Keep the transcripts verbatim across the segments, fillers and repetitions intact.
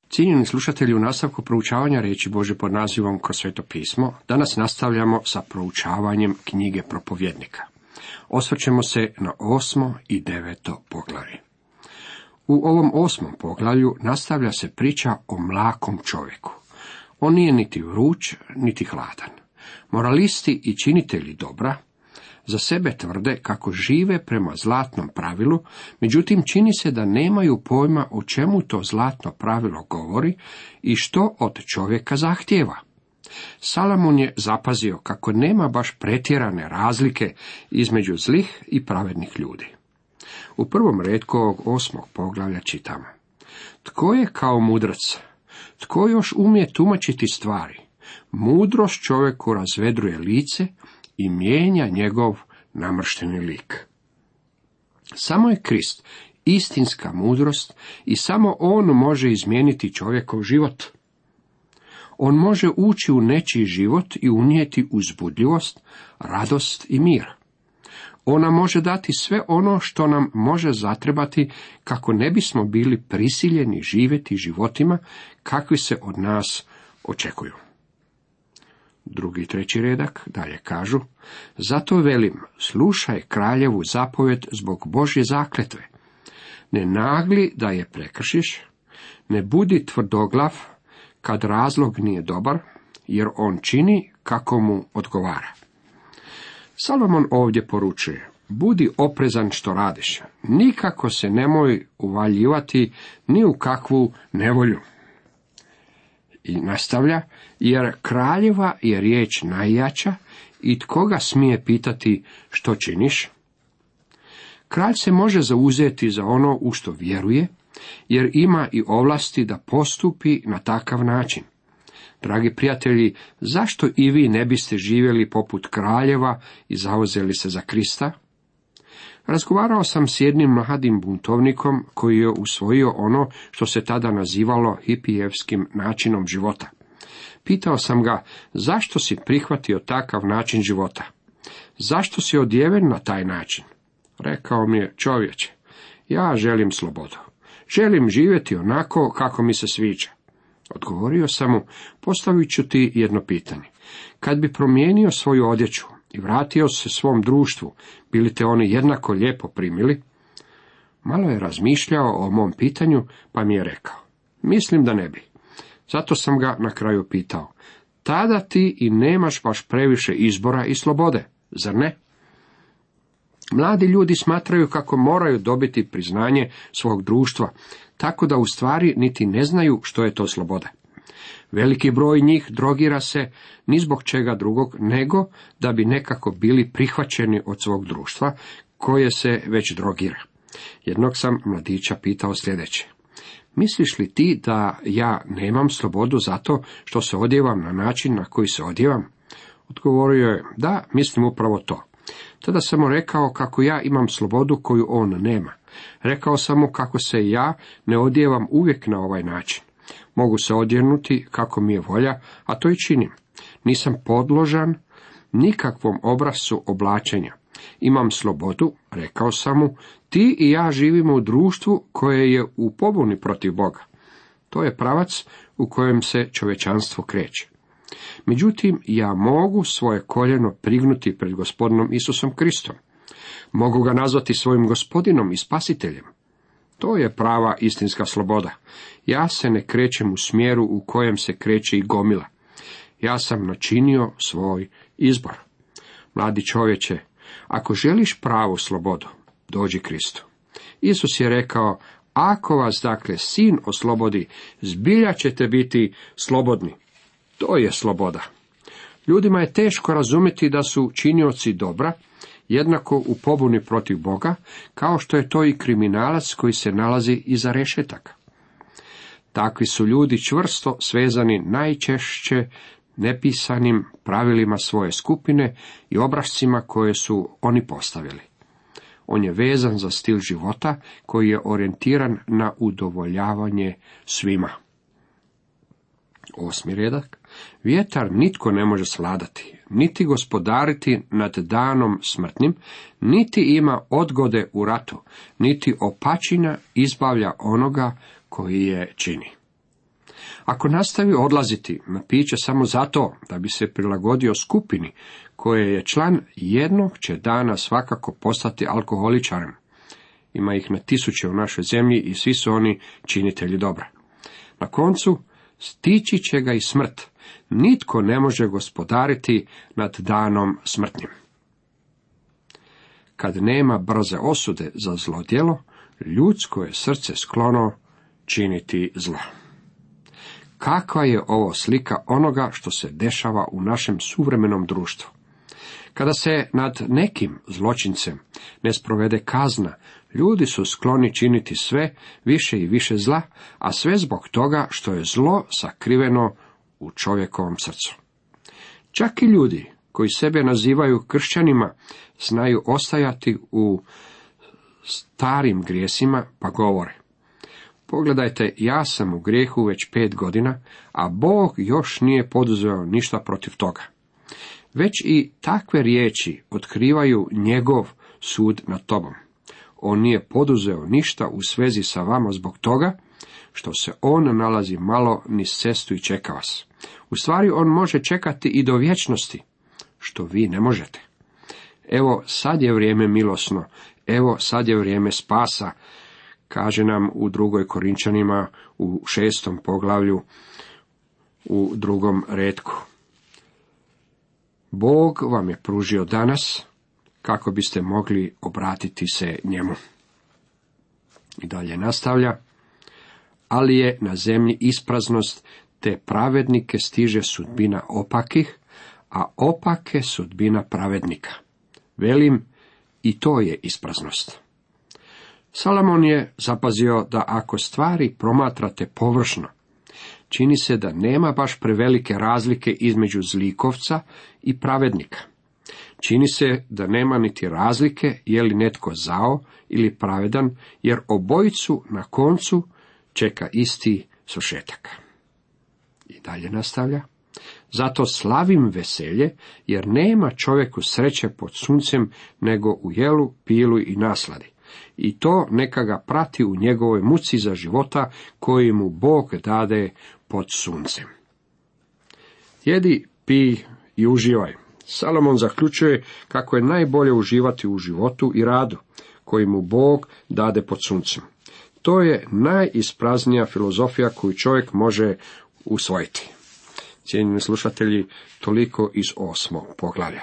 Cijenjeni slušatelji, u nastavku proučavanja riječi Božje pod nazivom Kroz sveto pismo, danas nastavljamo sa proučavanjem knjige Propovjednika. Osvrćemo se na osmo i deveto poglavlje. U ovom osmom poglavlju nastavlja se priča o mlakom čovjeku. On nije niti vruć, niti hladan. Moralisti i činitelji dobra za sebe tvrde kako žive prema zlatnom pravilu, međutim čini se da nemaju pojma o čemu to zlatno pravilo govori i što od čovjeka zahtijeva. Salomon je zapazio kako nema baš pretjerane razlike između zlih i pravednih ljudi. U prvom retku ovog osmog poglavlja čitamo: Tko je kao mudrac? Tko još umije tumačiti stvari? Mudrost čovjeku razvedruje lice i mijenja njegov namršteni lik. Samo je Krist istinska mudrost i samo on može izmijeniti čovjekov život. On može ući u nečiji život i unijeti uzbudljivost, radost i mir. Ona može dati sve ono što nam može zatrebati kako ne bismo bili prisiljeni živjeti životima kakvi se od nas očekuju. Drugi i treći redak dalje kažu: Zato velim, slušaj kraljevu zapovjed zbog Božje zakletve. Ne nagli da je prekršiš, ne budi tvrdoglav kad razlog nije dobar, jer on čini kako mu odgovara. Salomon ovdje poručuje: Budi oprezan što radiš, nikako se nemoj uvaljivati ni u kakvu nevolju. I nastavlja: Jer kraljeva je riječ najjača i tko ga smije pitati što činiš? Kralj se može zauzeti za ono u što vjeruje, jer ima i ovlasti da postupi na takav način. Dragi prijatelji, zašto i vi ne biste živjeli poput kraljeva i zauzeli se za Krista? Razgovarao sam s jednim mladim buntovnikom koji je usvojio ono što se tada nazivalo hipijevskim načinom života. Pitao sam ga: zašto si prihvatio takav način života? Zašto si odjeven na taj način? Rekao mi je: čovječe, ja želim slobodu. Želim živjeti onako kako mi se sviđa. Odgovorio sam mu: postavit ću ti jedno pitanje. Kad bi promijenio svoju odjeću i vratio se svom društvu, bili te oni jednako lijepo primili? Malo je razmišljao o mom pitanju, pa mi je rekao: mislim da ne bi. Zato sam ga na kraju pitao: tada ti i nemaš baš previše izbora i slobode, zar ne? Mladi ljudi smatraju kako moraju dobiti priznanje svog društva, tako da u stvari niti ne znaju što je to sloboda. Veliki broj njih drogira se ni zbog čega drugog, nego da bi nekako bili prihvaćeni od svog društva, koje se već drogira. Jednog sam mladića pitao sljedeće: misliš li ti da ja nemam slobodu zato što se odjevam na način na koji se odjevam? Odgovorio je: da, mislim upravo to. Tada sam mu rekao kako ja imam slobodu koju on nema. Rekao sam mu kako se ja ne odjevam uvijek na ovaj način. Mogu se odjenuti kako mi je volja, a to i činim. Nisam podložan nikakvom obrascu oblačenja. Imam slobodu, rekao sam mu, ti i ja živimo u društvu koje je u pobuni protiv Boga. To je pravac u kojem se čovječanstvo kreće. Međutim, ja mogu svoje koljeno prignuti pred gospodinom Isusom Kristom. Mogu ga nazvati svojim gospodinom i spasiteljem. To je prava istinska sloboda. Ja se ne krećem u smjeru u kojem se kreće i gomila. Ja sam načinio svoj izbor. Mladi čovječe, ako želiš pravu slobodu, dođi Kristu. Isus je rekao: ako vas dakle sin oslobodi, zbilja ćete biti slobodni. To je sloboda. Ljudima je teško razumjeti da su činioci dobra jednako u pobuni protiv Boga, kao što je to i kriminalac koji se nalazi iza rešetaka. Takvi su ljudi čvrsto svezani najčešće nepisanim pravilima svoje skupine i obrascima koje su oni postavili. On je vezan za stil života koji je orijentiran na udovoljavanje svima. Osmi redak. Vjetar nitko ne može svladati, niti gospodariti nad danom smrtnim, niti ima odgode u ratu, niti opačina izbavlja onoga koji je čini. Ako nastavi odlaziti na piće samo zato da bi se prilagodio skupini koje je član, jednog će dana svakako postati alkoholičarem. Ima ih na tisuće u našoj zemlji i svi su oni činitelji dobra. Na koncu stići će ga i smrt. Nitko ne može gospodariti nad danom smrtnim. Kad nema brze osude za zlodjelo, ljudsko je srce sklono činiti zlo. Kakva je ovo slika onoga što se dešava u našem suvremenom društvu? Kada se nad nekim zločincem ne sprovede kazna, ljudi su skloni činiti sve više i više zla, a sve zbog toga što je zlo sakriveno u čovjekovom srcu. Čak i ljudi koji sebe nazivaju kršćanima znaju ostajati u starim grijesima, pa govore: pogledajte, ja sam u grijehu već pet godina, a Bog još nije poduzeo ništa protiv toga. Već i takve riječi otkrivaju njegov sud nad tobom. On nije poduzeo ništa u svezi sa vama zbog toga što se on nalazi malo niz cestu i čeka vas. U stvari on može čekati i do vječnosti, što vi ne možete. Evo sad je vrijeme milosno, evo sad je vrijeme spasa, kaže nam u drugoj Korinčanima u šestom poglavlju u drugom retku. Bog vam je pružio danas kako biste mogli obratiti se njemu. I dalje nastavlja: ali je na zemlji ispraznost, te pravednike stiže sudbina opakih, a opake sudbina pravednika. Velim, i to je ispraznost. Salomon je zapazio da ako stvari promatrate površno, čini se da nema baš prevelike razlike između zlikovca i pravednika. Čini se da nema niti razlike je li netko zao ili pravedan, jer obojicu na koncu čeka isti svršetak. I dalje nastavlja: zato slavim veselje, jer nema čovjeku sreće pod suncem nego u jelu, pilu i nasladi. I to neka ga prati u njegovoj muci za života koji mu Bog dade pod suncem. Jedi, pij i uživaj. Salomon zaključuje kako je najbolje uživati u životu i radu koji mu Bog dade pod suncem. To je najispraznija filozofija koju čovjek može usvojiti. Cijenjeni slušatelji, toliko iz osmog poglavlja.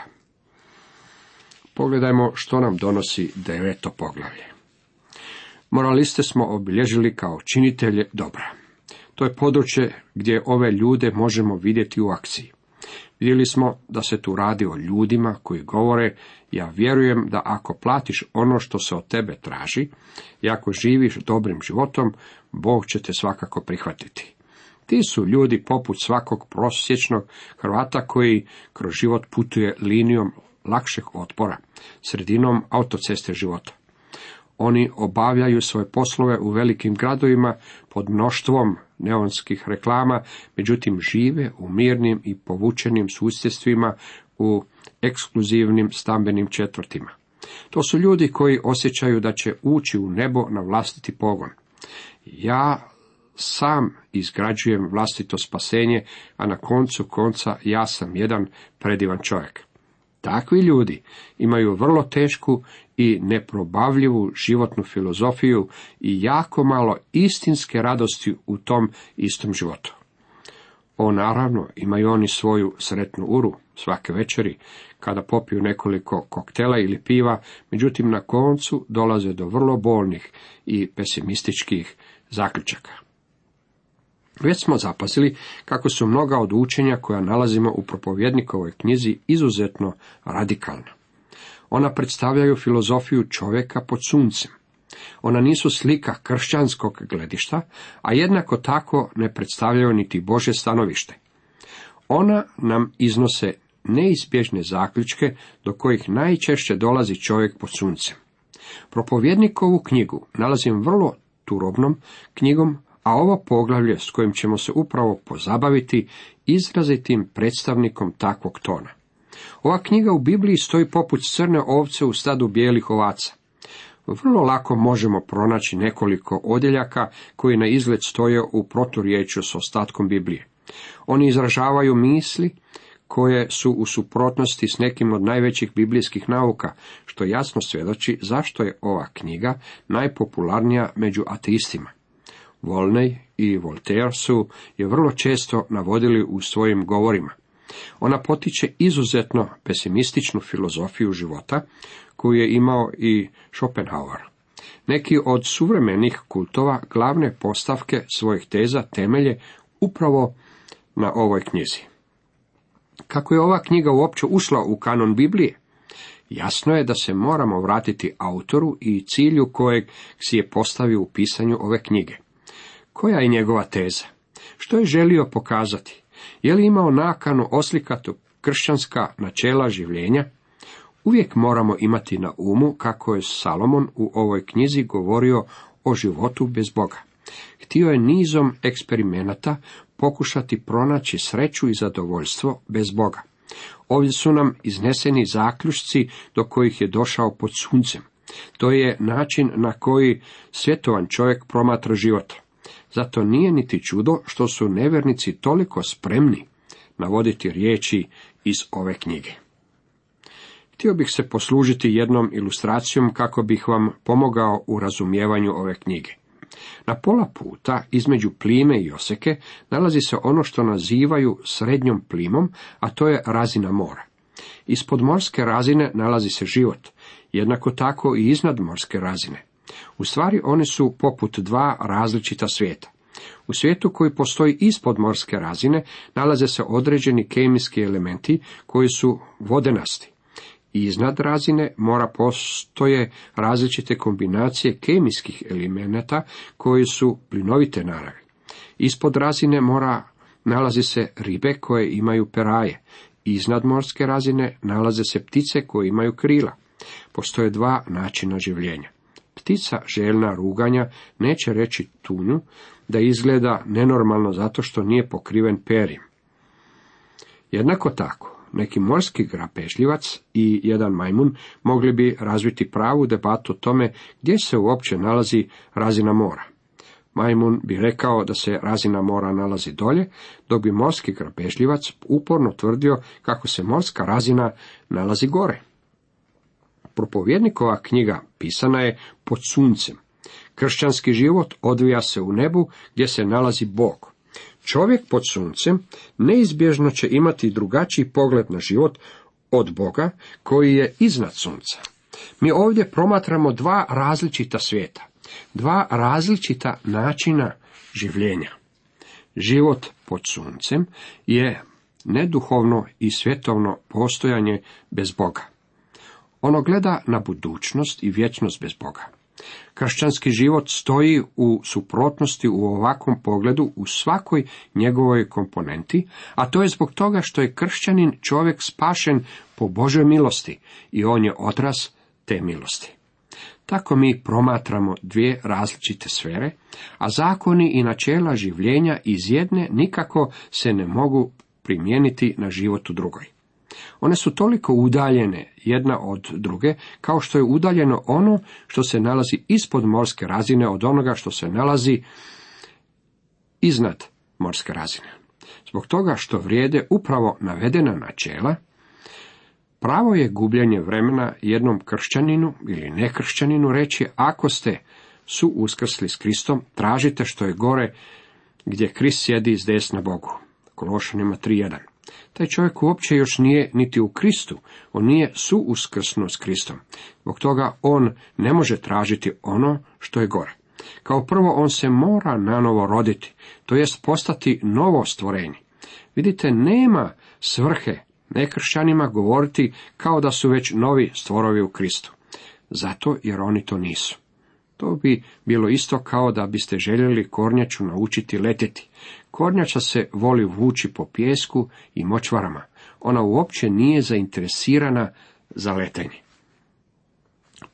Pogledajmo što nam donosi deveto poglavlje. Moraliste smo obilježili kao činitelje dobra. To je područje gdje ove ljude možemo vidjeti u akciji. Vidjeli smo da se tu radi o ljudima koji govore: ja vjerujem da ako platiš ono što se od tebe traži i ako živiš dobrim životom, Bog će te svakako prihvatiti. Ti su ljudi poput svakog prosječnog Hrvata koji kroz život putuje linijom lakšeg otpora, sredinom autoceste života. Oni obavljaju svoje poslove u velikim gradovima pod mnoštvom neonskih reklama, međutim žive u mirnim i povučenim susjedstvima u ekskluzivnim stambenim četvrtima. To su ljudi koji osjećaju da će ući u nebo na vlastiti pogon. Ja sam izgrađujem vlastito spasenje, a na koncu konca ja sam jedan predivan čovjek. Takvi ljudi imaju vrlo tešku i neprobavljivu životnu filozofiju i jako malo istinske radosti u tom istom životu. O, naravno, imaju oni svoju sretnu uru svake večeri, kada popiju nekoliko koktela ili piva, međutim na koncu dolaze do vrlo bolnih i pesimističkih zaključaka. Već smo zapazili kako su mnoga od učenja koja nalazimo u propovjednikovoj knjizi izuzetno radikalna. Ona predstavljaju filozofiju čovjeka pod suncem. Ona nisu slika kršćanskog gledišta, a jednako tako ne predstavljaju niti Božje stanovište. Ona nam iznose neizbježne zaključke do kojih najčešće dolazi čovjek pod suncem. Propovjednikovu knjigu nalazim vrlo turobnom knjigom, a ovo poglavlje s kojim ćemo se upravo pozabaviti izrazitim predstavnikom takvog tona. Ova knjiga u Bibliji stoji poput crne ovce u stadu bijelih ovaca. vrlo lako možemo pronaći nekoliko odjeljaka koji na izgled stoje u proturječju s ostatkom Biblije. Oni izražavaju misli koje su u suprotnosti s nekim od najvećih biblijskih nauka, što jasno svjedoči zašto je ova knjiga najpopularnija među ateistima. Volney i Voltaire su je vrlo često navodili u svojim govorima. Ona potiče izuzetno pesimističnu filozofiju života, koju je imao i Schopenhauer. Neki od suvremenih kultova glavne postavke svojih teza temelje upravo na ovoj knjizi. Kako je ova knjiga uopće ušla u kanon Biblije? Jasno je da se moramo vratiti autoru i cilju kojeg si je postavio u pisanju ove knjige. Koja je njegova teza? Što je želio pokazati? Je li imao nakanu oslikati kršćanska načela življenja? Uvijek moramo imati na umu kako je Salomon u ovoj knjizi govorio o životu bez Boga. Htio je nizom eksperimenata pokušati pronaći sreću i zadovoljstvo bez Boga. Ovdje su nam izneseni zaključci do kojih je došao pod suncem. To je način na koji svjetovan čovjek promatra život. Zato nije niti čudo što su nevjernici toliko spremni navoditi riječi iz ove knjige. Htio bih se poslužiti jednom ilustracijom kako bih vam pomogao u razumijevanju ove knjige. Na pola puta između plime i oseke nalazi se ono što nazivaju srednjom plimom, a to je razina mora. Ispod morske razine nalazi se život, jednako tako i iznad morske razine. U stvari one su poput dva različita svijeta. U svijetu koji postoji ispod morske razine nalaze se određeni kemijski elementi koji su vodenasti. Iznad razine mora postoje različite kombinacije kemijskih elemenata koji su plinovite naravi. Ispod razine mora nalaze se ribe koje imaju peraje. Iznad morske razine nalaze se ptice koje imaju krila. Postoje dva načina življenja. Ptica željna ruganja neće reći tunju da izgleda nenormalno zato što nije pokriven perjem. Jednako tako, neki morski grabežljivac i jedan majmun mogli bi razviti pravu debatu o tome gdje se uopće nalazi razina mora. Majmun bi rekao da se razina mora nalazi dolje, dok bi morski grabežljivac uporno tvrdio kako se morska razina nalazi gore. Propovjednikova knjiga pisana je pod suncem. Kršćanski život odvija se u nebu gdje se nalazi Bog. Čovjek pod suncem neizbježno će imati drugačiji pogled na život od Boga koji je iznad sunca. Mi ovdje promatramo dva različita svijeta, dva različita načina življenja. Život pod suncem je neduhovno i svjetovno postojanje bez Boga. Ono gleda na budućnost i vječnost bez Boga. Kršćanski život stoji u suprotnosti u ovakvom pogledu u svakoj njegovoj komponenti, a to je zbog toga što je kršćanin čovjek spašen po Božoj milosti i on je odraz te milosti. Tako mi promatramo dvije različite sfere, a zakoni i načela življenja iz jedne nikako se ne mogu primijeniti na život u drugoj. One su toliko udaljene jedna od druge, kao što je udaljeno ono što se nalazi ispod morske razine od onoga što se nalazi iznad morske razine. Zbog toga što vrijede upravo navedena načela, pravo je gubljenje vremena jednom kršćaninu ili nekršćaninu reći ako ste su uskrsli s Kristom, tražite što je gore gdje Krist sjedi s desna Bogu. Kološanima tri jedan. Taj čovjek uopće još nije niti u Kristu, on nije suuskrsnuo s Kristom. Zbog toga on ne može tražiti ono što je gore. Kao prvo on se mora nanovo roditi, to jest postati novo stvorenje. Vidite, nema svrhe nekršćanima govoriti kao da su već novi stvorovi u Kristu. Zato jer oni to nisu. To bi bilo isto kao da biste željeli kornjaču naučiti letjeti. Kornjača se voli vući po pijesku i močvarama. Ona uopće nije zainteresirana za letenje.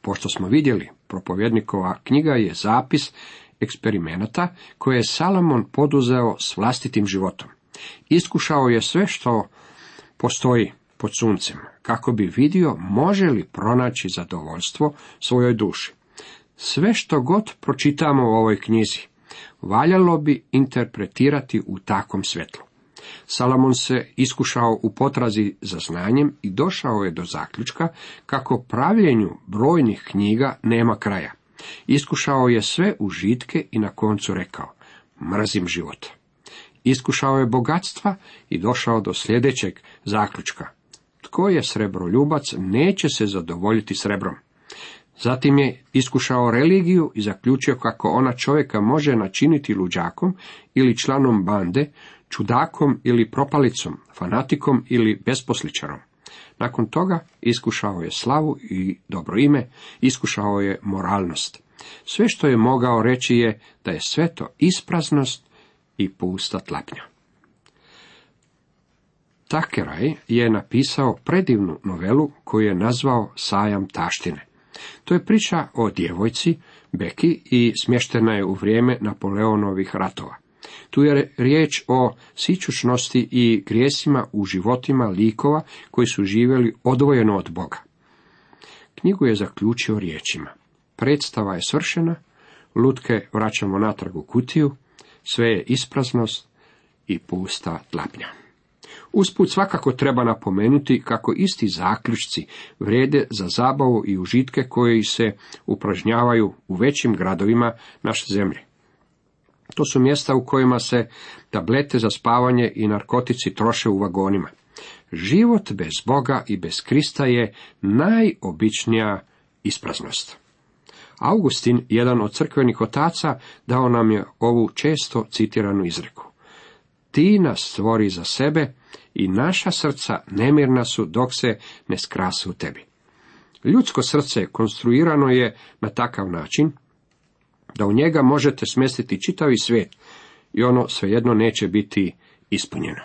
Pošto smo vidjeli, propovjednikova knjiga je zapis eksperimenata koje je Salomon poduzeo s vlastitim životom. Iskušao je sve što postoji pod suncem, kako bi vidio može li pronaći zadovoljstvo svojoj duši. Sve što god pročitamo u ovoj knjizi, valjalo bi interpretirati u takvom svjetlu. Salomon se iskušao u potrazi za znanjem i došao je do zaključka kako pravljenju brojnih knjiga nema kraja. Iskušao je sve užitke i na koncu rekao: mrzim život. Iskušao je bogatstva i došao do sljedećeg zaključka: tko je srebroljubac, neće se zadovoljiti srebrom. Zatim je iskušao religiju i zaključio kako ona čovjeka može načiniti luđakom ili članom bande, čudakom ili propalicom, fanatikom ili besposličarom. Nakon toga iskušao je slavu i dobro ime, iskušao je moralnost. Sve što je mogao reći je da je sve to ispraznost i pusta tlapnja. Takeraj je napisao predivnu novelu koju je nazvao Sajam taštine. To je priča o djevojci Beki i smještena je u vrijeme Napoleonovih ratova. Tu je riječ o sićušnosti i grijesima u životima likova koji su živjeli odvojeno od Boga. Knjigu je zaključio riječima: predstava je svršena, lutke vraćamo natrag u kutiju, sve je ispraznost i pusta tlapnja. Usput svakako treba napomenuti kako isti zaključci vrijede za zabavu i užitke koji se upražnjavaju u većim gradovima naše zemlje. To su mjesta u kojima se tablete za spavanje i narkotici troše u vagonima. Život bez Boga i bez Krista je najobičnija ispraznost. Augustin, jedan od crkvenih otaca, dao nam je ovu često citiranu izreku: ti nas stvori za sebe i naša srca nemirna su dok se ne skrase u tebi. Ljudsko srce konstruirano je na takav način da u njega možete smjestiti čitavi svijet i ono svejedno neće biti ispunjeno.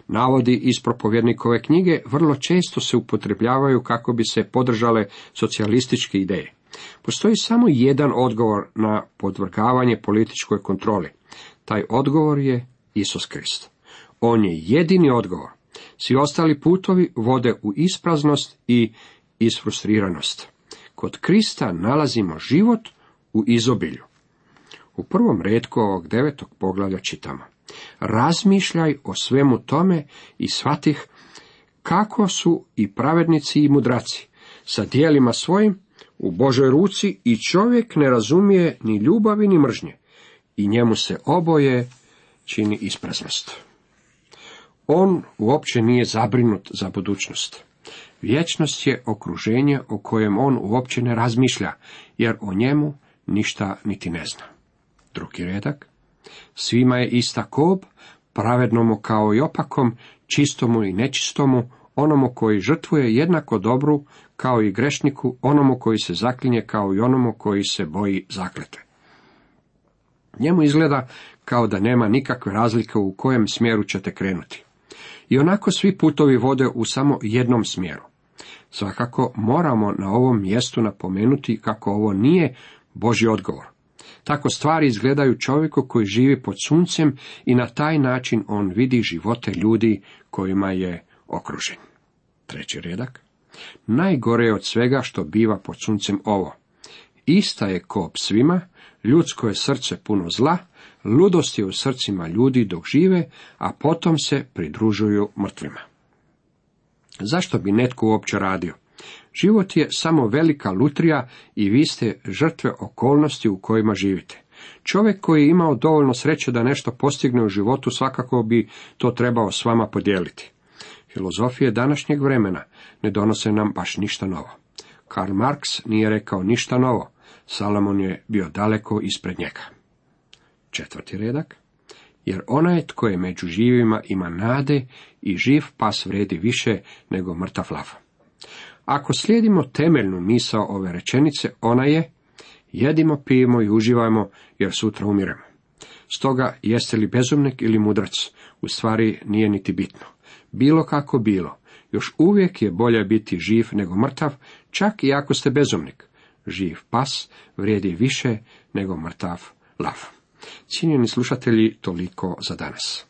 Navodi iz propovjednikove knjige vrlo često se upotrebljavaju kako bi se podržale socijalističke ideje. Postoji samo jedan odgovor na podvrgavanje političkoj kontroli. Taj odgovor je Isus Krist. On je jedini odgovor. Svi ostali putovi vode u ispraznost i isfrustriranost. Kod Krista nalazimo život u izobilju. U prvom retku ovog devetog poglavlja čitamo: razmišljaj o svemu tome i shvatih kako su i pravednici i mudraci sa djelima svojim u Božoj ruci i čovjek ne razumije ni ljubavi ni mržnje i njemu se oboje čini ispraznost. On uopće nije zabrinut za budućnost. Vječnost je okruženje o kojem on uopće ne razmišlja, jer o njemu ništa niti ne zna. Drugi redak: svima je ista kob, pravednomu kao i opakom, čistomu i nečistomu, onomu koji žrtvuje jednako dobru kao i grešniku, onomu koji se zaklinje kao i onomu koji se boji zakletve. Njemu izgleda kao da nema nikakve razlike u kojem smjeru ćete krenuti. I onako svi putovi vode u samo jednom smjeru. Svakako moramo na ovom mjestu napomenuti kako ovo nije Božji odgovor. Tako stvari izgledaju čovjeku koji živi pod suncem i na taj način on vidi živote ljudi kojima je okružen. Treći redak: najgore je od svega što biva pod suncem ovo: ista je kop svima, ljudsko je srce puno zla, ludost je u srcima ljudi dok žive, a potom se pridružuju mrtvima. Zašto bi netko uopće radio? Život je samo velika lutrija i vi ste žrtve okolnosti u kojima živite. Čovjek koji je imao dovoljno sreće da nešto postigne u životu svakako bi to trebao s vama podijeliti. Filozofije današnjeg vremena ne donose nam baš ništa novo. Karl Marx nije rekao ništa novo, Salomon je bio daleko ispred njega. Četvrti redak: jer onaj tko je među živima ima nade i živ pas vredi više nego mrtav lav. Ako slijedimo temeljnu misao ove rečenice, ona je: jedimo, pijemo i uživajmo, jer sutra umiremo. Stoga, jeste li bezumnik ili mudrac, u stvari nije niti bitno. Bilo kako bilo, još uvijek je bolje biti živ nego mrtav, čak i ako ste bezumnik. Živ pas vrijedi više nego mrtav lav. Cijenjeni slušatelji, toliko za danas.